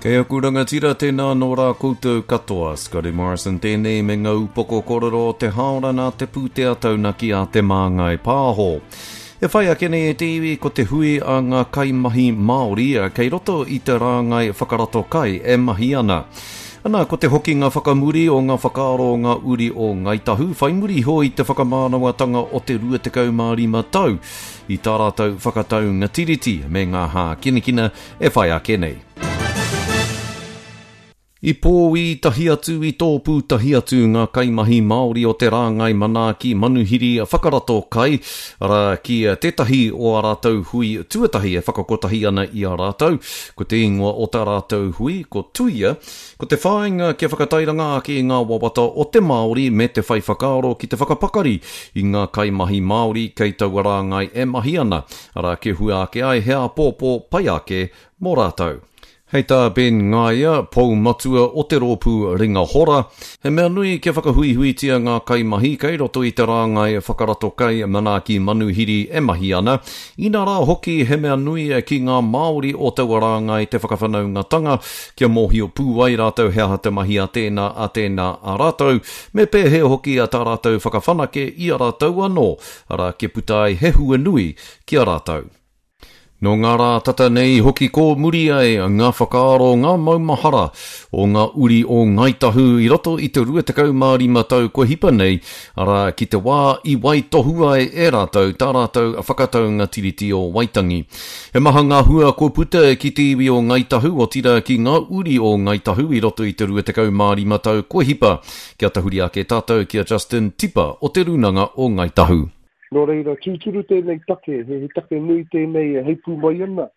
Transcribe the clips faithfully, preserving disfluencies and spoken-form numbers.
Kei aku rangatira, tēnā nō rā koutou katoa. Scotty Morrison tēnei me ngā upoko kōrero o te haora nā te pūtea taunaki a Te Māngai Pāho. E whai ake nei e te iwi ko te hui a ngā kaimahi Māori kei roto i te rāngai whakarato kai e mahi ana. Ana, ko te hokinga whakamuri o ngā whakaaro o ngā uri o Ngāi Tahu, whai muri iho i te whakamānawatanga o te rua tekau mā rima tau i tā rātou whakataunga tiriti me ngā hākinakina e whai ake nei. I pōī tahi atu, i tōpū tahi atu ngā kaimahi Māori o te rāngai manaaki manuhiri whakarato kai, arā, ki tētahi o ā rātou hui tuatahi e whakakotahi ana i a rātou. Ko te ingoa o tā rātou hui, ko Tuia, ko te whāinga kia whakatairanga ake i ngā wawata o te Māori me te whai whakaaro ki te whakapakari i ngā kaimahi Māori kei taua rāngai e mahi ana, arā, kia hua ake ai he āpōpō pai ake mō rātou. Hei tā Ben Ngaia, pou matua o te rōpū Ringa Hora, he mea nui kia whakahuihuitia ngā kaimahi kei roto i te rāngai whakarato kai manaaki manuhiri e mahi ana. Inā rā hoki he mea nui ki ngā Māori o taua rāngai te whakawhanaungatanga kia mōhio pū ai rātou he aha te mahi a tēnā a tēnā a rātou, me pēhea hoki a tā rātou whakawhanake i a rātou anō, arā kia puta ai he hua nui ki a rātou. Nō ngā rā tata nei hoki kōmuri ai ngā whakaaro, ngā maumahara o ngā uri o Ngāi Tahu i roto i te rua tekau mā rima tau kua hipa nei, arā, ki te wā i waitohu ai e rātou tā rātou whakataunga Tiriti o Waitangi. He maha ngā hua kua puta ki te iwi o Ngāi Tahu, otirā ki ngā uri o Ngāi Tahu i roto i te rua tekau mā rima tau kua hipa. Kia tahuri ake tātou ki a Justin Tipa o Te Rūnanga o Ngāi Tahu. Nō reira, tūturu tēnei take, he, he take nui tēnei e heipū mai ana,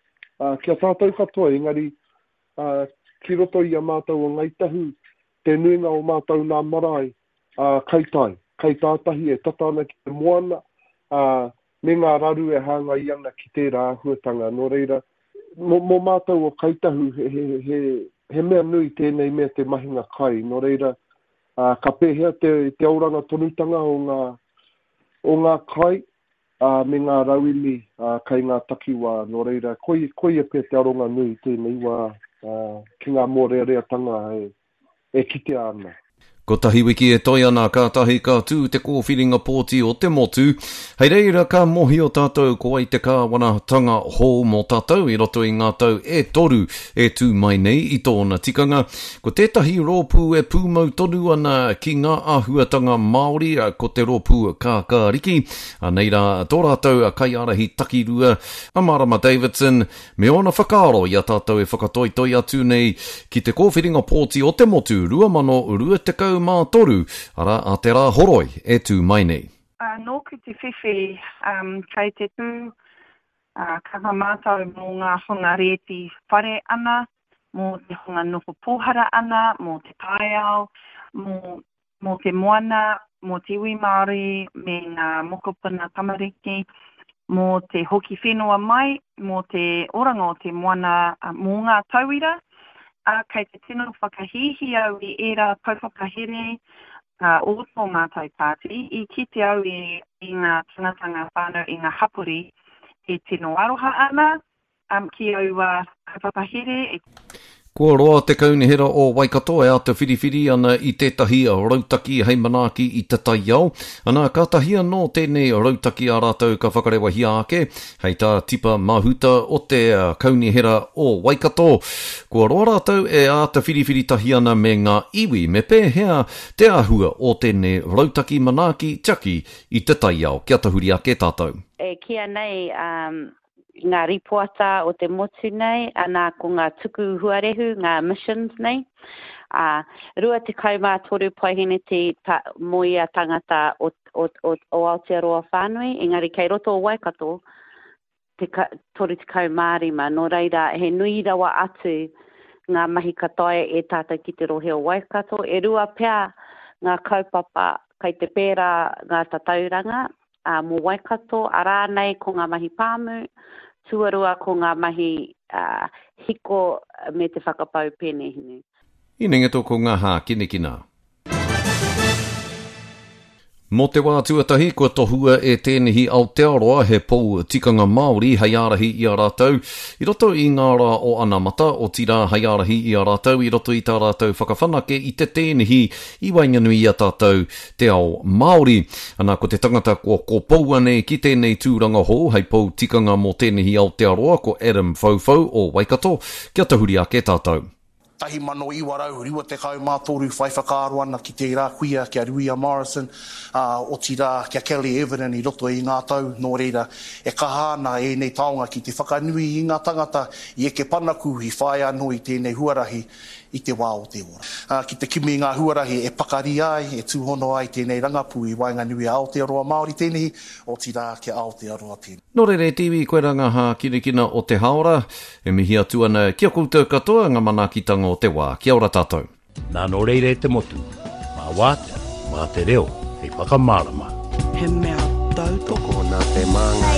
ā, ki a tātou katoa, engari, ā, ki roto i a mātou o Ngāi Tahu, te nuinga o mātou nā marae, ā, kai tai, kai tātahi e tata ana ki te moana, ā, me ngā raru e hāngai ana ki tērā āhuatanga. Nō reira, mō, mō mātou o Kai Tahu, he, he, he, he mea nui tēnei mea te mahinga kai. Nō reira, ā, ka pēhea te, te oranga tonutanga o ngā, o ngā kai, ā, me ngā rauemi, ā, kai ngā takiwā. Nō reira, koia, koia pea te aronga nui i tēnei wā, ā, ki ngā mōreareatanga e, e kitea ana. Kotahi wiki e toe ana kātahi ka tū te kōwhiringa pōti o te motu. Hei reira ka mōhio tātou ko wai te kāwanatanga hou mō tātou i roto i ngā tau e toru e tū mai nei i tōna tikanga. Ko tētahi rōpū e pūmau tonu ana ki ngā āhuatanga Māori ko te rōpū Kākāriki. Anei rā tō rātou kaiārahi takirua a Marama Davidson me ōna whakaaro i a tātou e whakatoitoi atu nei ki te kōwhiringa pōti o te motu rua mano rua tekau mā toru, arā, a te rā horoi e tū mai nei. Uh, nōku te whiwhi, um, kei te tū, uh, kaha mātou mō ngā hunga rēti whare ana, mō te hunga noho pōhara ana, mō te taiao, mō, mō te moana, mō te iwi Māori me ngā mokopuna tamariki, mō te hoki whenua mai, mō te oranga o te moana, uh, mō ngā tauira, ā, kei te tino whakahīhī au i ērā kaupapa here, ā, o tō mātou pāti, i kite au i, i ngā tangata, ngā whānau, i ngā hapori e tino aroha ana, um, ki aua kaupapa here. Kua roa te Kaunihera o Waikato e āta whiriwhiri ana i tētahi rautaki hei manaaki i te taiao. Ana, kātahi anō tēnei rautaki a rātou ka whakarewahia ake, hei tā Tipa Mahuta o te Kaunihera o Waikato. Kua roa rātou e āta whiriwhiri tahi ana me ngā iwi me pēhea te āhua o tēnei rautaki manaaki tiaki i te taiao. Kia tahuri ake tātou. E kīia nei, um, ngā ripoata o te motu nei, ana ko ngā tuku huarehu, ngā emissions nei, ā, rua tekau mā toru paeheneti ta, mō ia tangata o, o, o, o Aotearoa whānui, engari kei roto o Waikato, te ka, toru tekau mā rima, nō reira he nui rawa atu ngā mahi ka taea e tātou ki te rohe o Waikato. E rua pea ngā kaupapa kei te pērā ngā tatauranga, ā, mō Waikato, arā nei ko ngā mahi pāmu, tuarua ko ngā mahi, ā, hiko me te whakapau pēnehinu. Inengeto ko ngā hākinakina. Mō te wā tuatahi kua tohua e Tēnehi Aotearoa he pou tikanga Māori hei ārahi i a rātou i roto i ngā rā o anamata, otirā hei ārahi i a rātou i roto i tā rātou whakawhanake i te tēnehi i waenganui i a tātou te ao Māori. Ana ko te tangata kua kopoua nei ki tēnei tūranga hou hei pou tikanga mō Tēnehi Aotearoa ko Adam Whauwhau o Waikato, kia tahuri ake tātou. Tahi mano iwa rau, rua tekau mā toru whai whakaaro ana ki tērā kuia, ki a Ruia Morrison, ā, otirā, ki a Kelly Everton i roto i ngā tau, nō reira, e kaha ana ēnei taonga ki te whakanui i ngā tangata i eke panaku, i whāia anō i tēnei huarahi i te wā o te ora. Ā, ki te kimi i ngā huarahi e pakari ai, e tūhono ai tēnei rangapū i waenganui a Aotearoa Māori tēnehi, otirā ki a Aotearoa tēnei. Nō reira e te iwi, koirā ngā hākinakina o te hāora. E mihi atu ana ki a koutou katoa ngā manaakitanga o te wā. Kia ora tātou. Nā nō reira e te motu, mā wātea, mā te reo, hei whakamārama. He mea tautoko Nā te māngai.